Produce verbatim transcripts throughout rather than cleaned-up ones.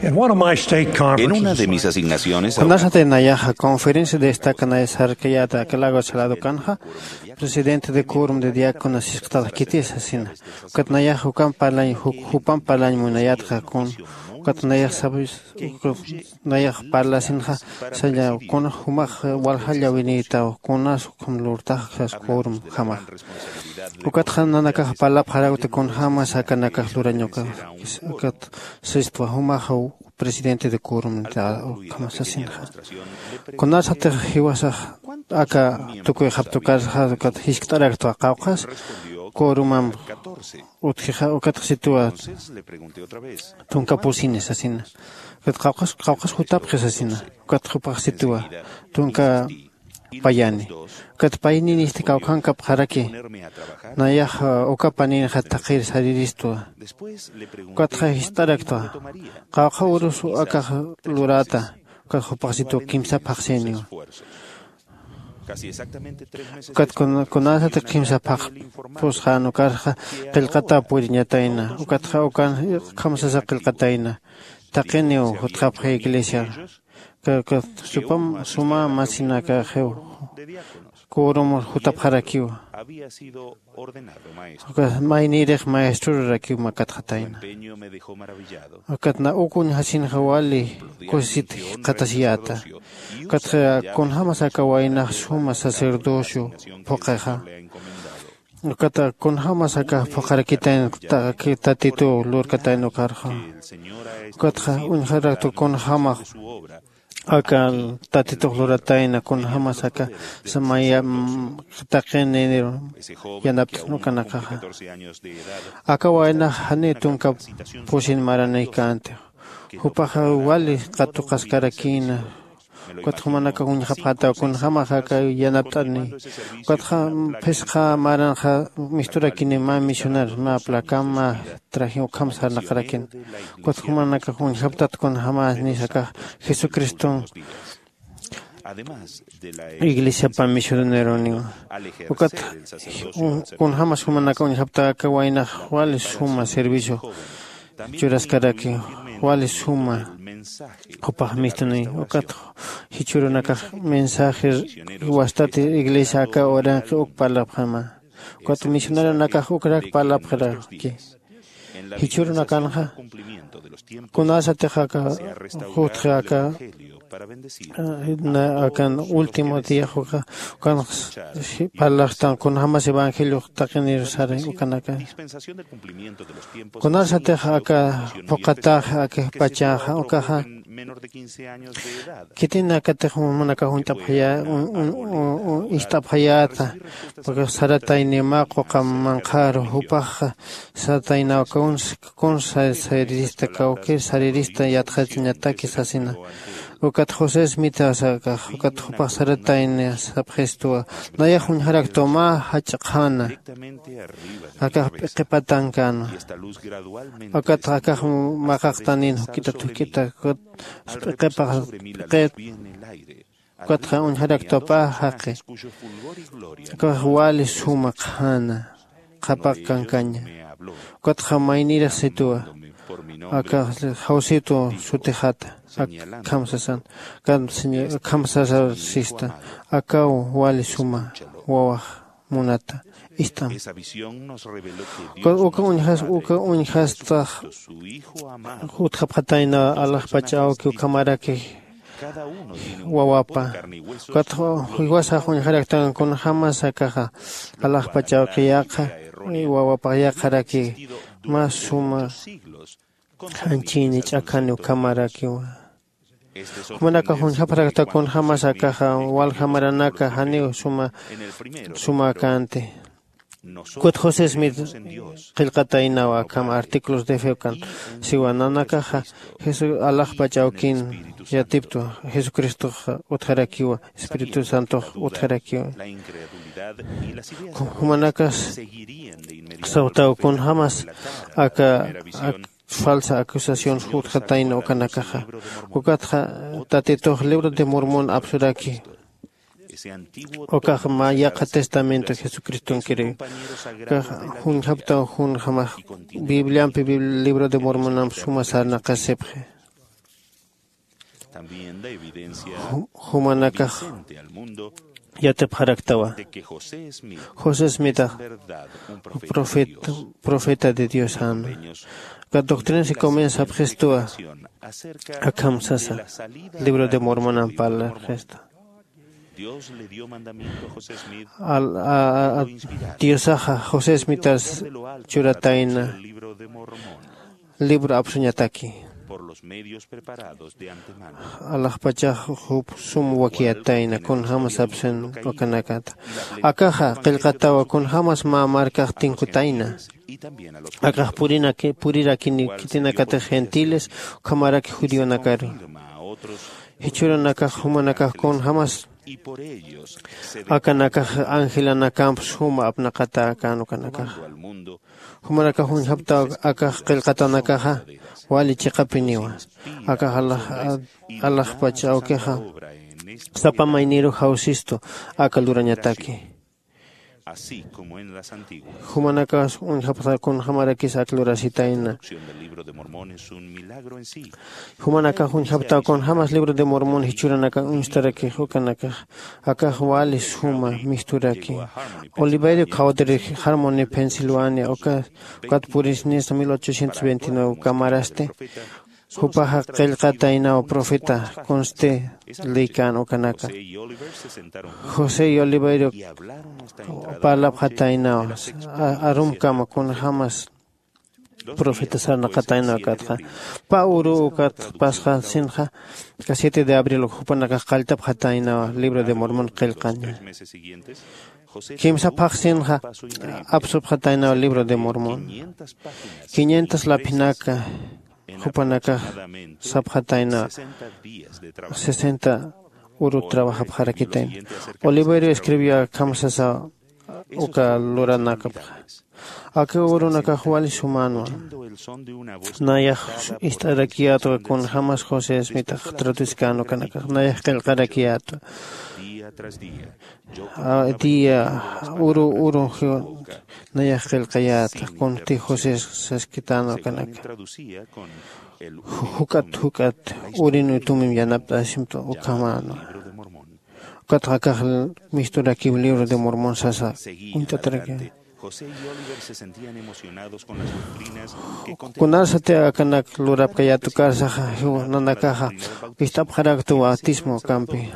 En una de mis asignaciones, kunasati nayaxa conferencia destaca nay sarkayata aka lago salado kanxa, presidente de quórum de diáconos sisqtax kitis asina. Ukat nayax ukan parlañ, juk-, jupan parlañ munayatxa kun, ukat nayax sabis, nayax parlasinxa, saña kun jumax waljalla winïtaw, kunas ukham lurtax sas quórum jamax. Ukatxa nanakax parlapxarakta kunjämas akanakax lurañukax, ukat sistwa jumaxaw presidente de quórum ukham sasinxa. Kunasatix jiwasax aka tukuyxaptukarxa, ukat jiskt'araktwa qawqhas quórumam utjixa, ukatxa sitwa tunka pusini sasina. Ukat qawqhas, qawqhas jutapxi sasina. Ukat jupax sitwa tunka payani. Ukat payninisti kawkhankapxaraki. Nayax uka paninxa taqir sariristwa. Ukatxa jist'araktwa. Qawqha urus akax lurata. Ukat jupax sitwa kimsa phaxsiniwa. Ukat kun-, kunasati kimsa phaxpusxän ukarxa qillqata puriñatayna. Ukatxa ukan kamsasa qillqatayna. Taqiniw jutxapxi iglesia. Ka, ka, supam, suma masinakaxiw. Quórum jutapxarakiw. Ukat maynïrix maestrorarakiw makatxatayna. Ukat na uk uñjasinxa wali kusisit jikxatasiyäta. Ukat kunjämas aka waynax suma sacerdocio phuqhixa. Ukat kunjämas aka phuqharakitayna ta-, Tatituw lurkatayna ukarxa. Ukatxa uñjaraktu kunjämax aka Tatitux luratayna, kunjämas aka samaya, mm, taqini yanapt'in ukanakaxa. Aka waynax janiw tunka pusin maranïkänti. Jupaxa wali qatuqaskarakïna. Ukatxa jumanakax uñjapxätaw kunjämax aka yanapt'ani. Ukatxa phisqa maranxa misturakini mä misionar, mä placa, mä traje ukham sarnaqarakini. Ukat jumanakax uñjaptat kunjämas akax Jesucriston iglesiapa misioneroniwa. Ukat kunjämas jumanakax uñjapta aka waynax wali suma servicio churaskaraki, wali suma jupax mistuni. Ukat jichhürunakax mensaje wastati iglesia aka uranqi uk parlapxäma. Ukat misioneronakax ukrak parlapxaraki. Jichhürunakanxa kunasatix aka jutxi aka, eh, na akan último día uka, ukan parlaxtan kunjämas evangeliox taqinir sari ukanaka. Kunasatix aka phuqhatax, aka pachaxa, ukaxa, khitinakatix jumanakax uñt'apxaya-, un-, un-, un-, un-, ist'apxayäta, porque saratayniw mä quqa manqharu, jupax sarataynaw kuns, kuns sa-, sarirista, kawkïr sarirista yatxañataki sasina. Ukat José Smith sakax, ukat jupax saratayni sapxistuwa, nayax uñjaraktwa mä jach'a qhana, akax p'iqi patankana. Ukat akax maqaqtanin juk'ita juk'ita, ukat p'iqipax p'iqit. Ukatxa uñjaraktwa pä jaqi. Akax wali suma qhana, qhapaq kankaña. Ukatxa maynïrix situwa. Akax Jawsitu sutixata. Ak-, akham sasan. Akham sasaw sista. Akaw wali suma wawax munata ist'am. Uka, uka uñjas, uka uñjastax jutxapxatayna alaxpach awki ukhamaraki wawapa. Ukat jiwasax uñjaraktan kunjämas akaxa alaxpach awki yaqha, wawapax yaqharaki mä suma janchini ch'akhani ukhamarakiwa. Jumanakax uñjapxarakta kunjämas akaxa, walja maranaka janiw suma, sumäkänti. Ukat José Smith qillqataynawa akham artículos de fe ukan siwa nanakaxa Jesu-, alaxpach awkin yatiptwa, Jesucristox utjarakiwa, Espíritu Santox utjarakiwa. Jumanakas sawtaw kunjämas aka, ak-, falsa acusación jutxatayna ukanakaxa. Ukatxa Tatitux libro de Mormon apsuraki. Ukax mä yaqha testamento Jesucristonkiri. Ukax uñjaptaw kunjämax Bibliampi, Bib-, libro de Mormonamp suma sarnaqasipxi. Jumanakax yatipxaraktawa. José smitax profeta de diosana. Ka doctrinas y comienza sapxistuwa. Akham sasa libro de mormonan parlarxistu. Diosaxa josé smitas churatayna libro apsuñataki. Alaxpachax jup sum wakiyatayna kunjämas apsin ukanakata. Akaxa qillqatawa kunjämas mä markax tinkutayna. Akax purirakini khitinakatix gentiles ukhamaraki judionakaru. Jichhürunakax jumanakax kunjämas akanakax angelanakamp suma apnaqatäkän ukanakaxa. Jumanakax uñjaptaw akax qillqatanakaxa wali chiqapiniwa. Akax alaxpach awkixa sapa mayniru jawsistu aka lurañataki. Jumanakax uñjapxta kunjämarakis ak lurasitayna. Jumanakax uñjaptaw kunjämas libro de mormon jichhüranakan uñstarakix ukanakax. Akax wali suma misturaki. Oliverio cowdery harmony pensilvania ukat purisnista mil ochocientos veintinueve ukamarasti. Jupaxa qillqataynaw profeta kunsti lïkän ukanaka. José y oliverio parlapxataynaw arumkama kunjämas profeta sarnaqataynaw ukatxa. Pä uru ukat pasxasinxa ka siete de abril jupanakax qalltapxataynaw libro de mormon qillqaña. Kimsa phaxsinxa apsupxataynaw libro de mormon. Quinientas laphinaka jupanakax sapxatayna sesenta uru trabajapxarakitayna. Oliverio escribió akham sasa uka luranakapxa. Aka urunakax wali sumänwa. Nayax ist'arakiyätwa kunjämas josé smitax traducikän ukanakax nayax qillqarakiyätwa. Día uru uru nayax qillqayäta kunti josé saskitän ukanaka. Juk'at juk'at urin utumim yanapt'asimta ukhamänwa. Ukatxa akax misturakiw libro de mormon sasa uñt'atarakiw. Kunarsati akanak lurapkayät ukarsaxa nanakaxa ist'apxaraktu bautismo kampi.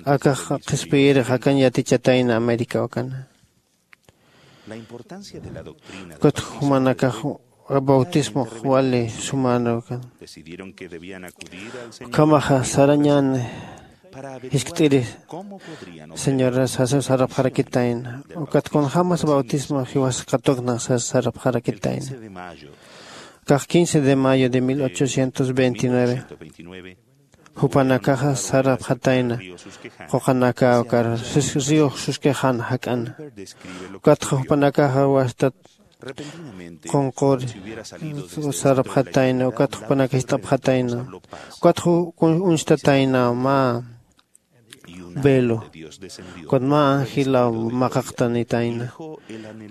Akax qhispiyirix akan yatichatayna américa ukana. Ukat jumanakax bautismox wali sumänwa ukan. Ukhamaxa sarañän jiskt'iri señoras sasa sarapxarakitayna. Ukat kunjämas bautismo jiwas katuknax sasa sarapxarakitayna. Kax quince de mayo de mil ochocientos veintinueve jupanakaxa sarapxatayna quqanaka ukar río suskixan jak'ana. Ukatxa jupanakaxa wastat qunquri sarapxatayna ukat jupanakax ist'apxatayna. Ukatxa uñstatayna mä velo. Ukat mä angilaw maqaqtanitayna.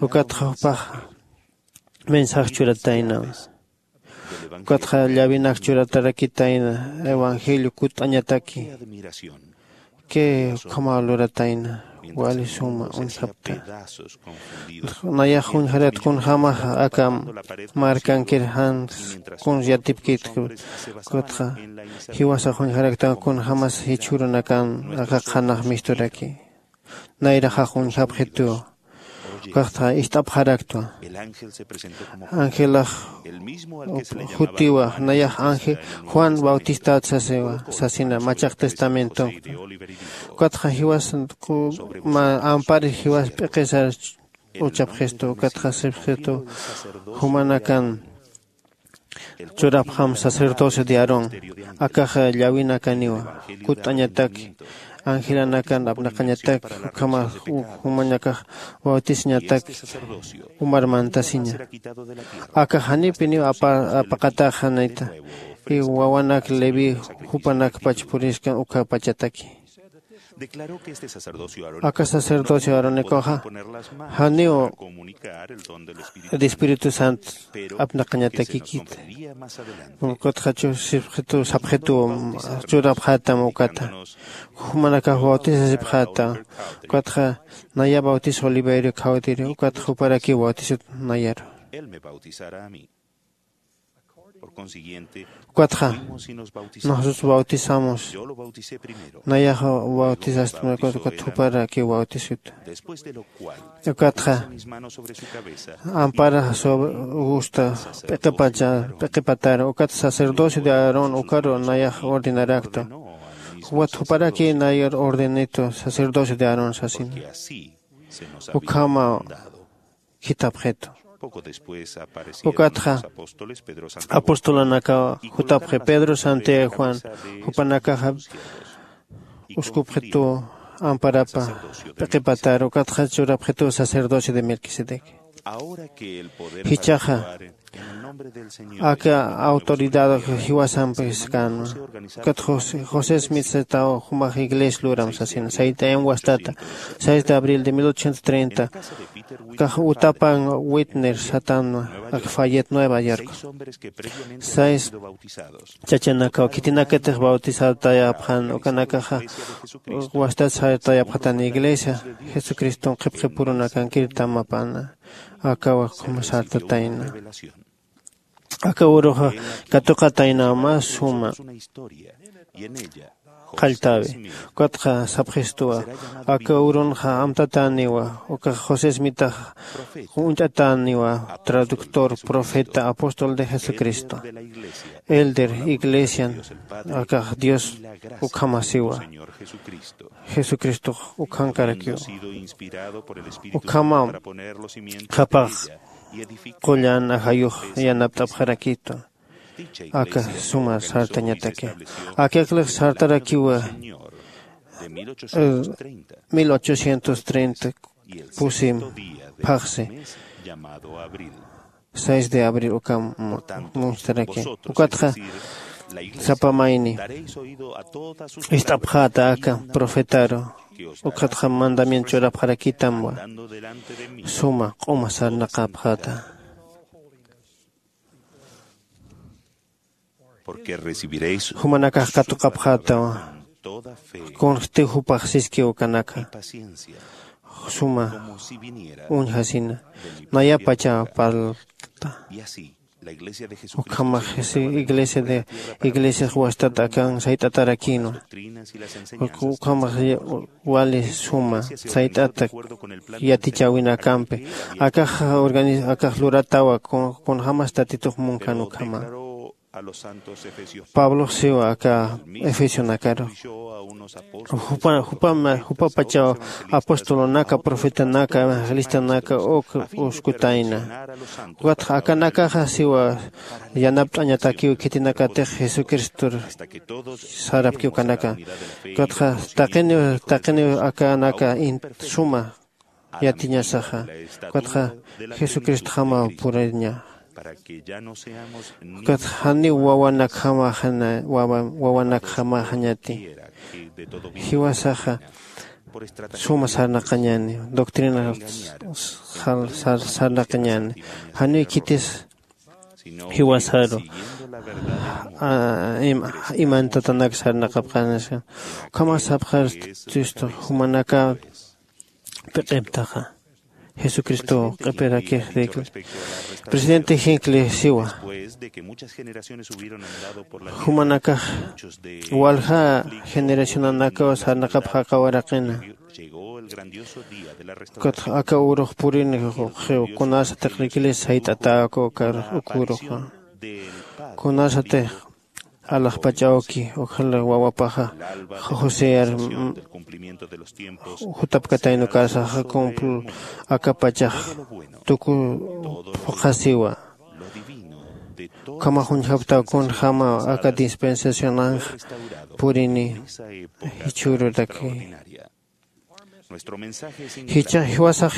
Ukatxa jupaxa mensaje churatayna. Ukatxa llavinak churatarakitayna evangelio kutt'añataki. Kay ukhamaw luratayna wali suma uñjapta. Nayax uñjarat kunjämaxa aka markankir jan kuns yatipkit. Ukatxa jiwasax uñjaraktan kunjämas jichhürunakan aka qhanax misturaki. Nayraxax uñjapxituw. Ukaxta ist'apxaraktwa. Angelax jutiwa nayax ángel juan bautistat sasiwa sasina machaq testamentonkta. Ukatxa jiwas ampar jiwas p'iqisar uchapxistu ukatxa sipxistu jumanakan churapxam sacerdocio de aarón. Akaxa llawinakaniwa kutt'añatak angelanakan apnaqañatak ukhama jumanakax bautisañatak umar mantasiña. Akax janipiniw apaqataxanita. Wawanak leví jupanakpach puriskan ukhapachataki. Aka sacerdocio aaronicoxa janiw de espíritu santo apnaqañatakikita. Ukatxa chusipxitu sapxitu churapxätam ukata. Jumanakax bautisasipxäta. Ukatxa naya bautis oliverio khawtiri ukatxa juparakiw bautisut nayaru. Ukatxa nosotros bautizamos. Nayaxa bautisastum ukat juparakiw bautisut. Ukatxa ampara sobre gusta p'iqipacha p'iqipataru ukat sacerdocio de aarón ukaru nayax ordenaraktu. Jupat juparaki nayar ordenitu sacerdocio de aarón sasina. Ukhama jitapxitu. Ukatxa apostolunaka jutapxi pedro santiago juan jupanakaxa uskupxitu amparapa p'iqipatar ukatxa churapxitu sacerdocio de melquisedec. Jichhaxa aka autoridad jiwasampi skanwa. Ukat josé smith sataw jumax iglesia luram sasina saytayam wastata seis de abril de mil ochocientos treinta kax utapan witner satanwa ak fayet nueva york. Seis chachanakaw khitinakatix bautizatayapxan ukanakaxa wastat sartayapxatan iglesia jesucriston qhipqipurunakankir tamapana. Akawa khuma sartatayna aka uruxa katuqatayna mä suma qalltäwi. Ukatxa sapxistuwa aka urunxa amtatäniwa ukax josés mitax uñt'atäniwa traductor profeta apóstol de jesucristo elder iglesian akax dios ukhamasiwa. Jesucristox ukhankarakiwa. Ukhama qhapax qullan ajayux yanapt'apxarakitu aka suma sartañataki. Aka aklix sartarakiwa mil ochocientos treinta pusim phaxsi seis de abril ukam munstaraki. Ukatxa sapa mayni ist'apxäta aka profetaru ukatxa mandamiento churapxarakitamwa suma q'uma sarnaqapxäta. Jumanakax katuqapxätawa kunxtiw jupax siskiw ukanaka suma uñjasina nayapacha parlta. Ukhamax iglesia de iglesias wastat akan sayt'atarakinwa. Ukhamax wali suma sayt'ata yatichäwinakampi akax akax luratawa kunjämas tatitux munkan ukhama. Pablox siwa aka efesionakaru jupapachaw apostolunaka profetanaka evangelistunaka uk uskutayna. Ukatxa akanakaxa siwa yanapt'añatakiw khitinakatix jesucristor sarapki ukanaka. Ukatxa taqiniw taqiniw akanaka suma yatiñasaxa. Ukatxa jesucristjamaw puriña. Ukatxa janiw wawanakjamaxaña wawanakjamaxañati. Jiwasaxa suma sarnaqañani doctrina sarnaqañani. Janiw khitis jiwasaru imantatanaka sarnaqapxanasa. Ukhama sapxar cristo jumanaka p'iq'iptaxa jesucristo q'ipirakix rikli. Presidente jinkli siwa jumanakax walja generacionanakaw sarnaqapxaqa waraqina. Ukatxa aka urux purini xiw kunasatix iglesia sayt'atäku uk uruxa kunasatix alaxpachawki ukxala wawapaxa joseyar jutapkataynukasaxa cumpl akapachax tuku phuqhasiwa. Ukhamax uñjaptaw kunjämaw aka dispensacionanx purini jichhüruraki. Jichhax jiwasax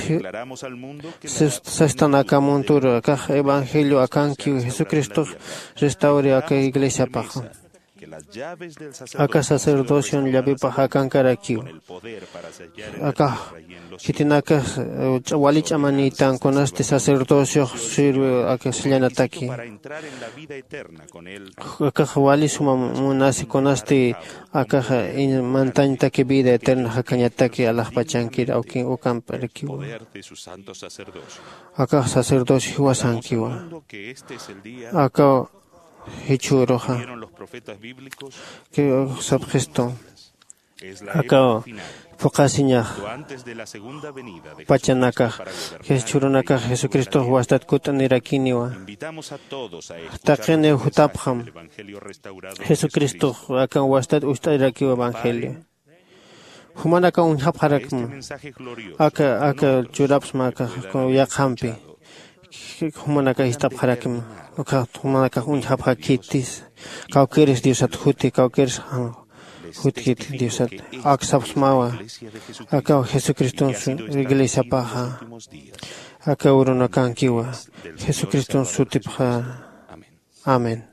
sastan aka munturu akax evangelio akankiw jesucristox restawri aka iglesiapaxa. Aka sacerdocion llavepax akankarakiw. Akax khitinakax wali ch'amanïtan kunasti sacerdociox sirve aka sallanataki. Akax wali suma munasi kunasti akax mantañtaki vida eterna jakañataki alaxpachankir awkin ukamp'arakiwa. Akax sacerdocio jiwasankiwa. Aka jichhüruxa sapxistu. Aka phuqhasiñax pachanakax jichhürunakax jesucristox wastat kut'anirakiniwa. Taqiniw jutapxam jesucristox aka wastat ust'ayrakiw evangelio. Jumanakax uñjapxarakma aka aka churapsma aka yaqhampi. Jumanakax ist'apxarakma. Ukat jumanakax uñjapxakitis kawkiris diosat juti kawkiris jutkit diosat. Aksapxsmawa aka jesucriston iglesiapaxa. Aka urunakankiwa jesucriston sutipxa. Amén.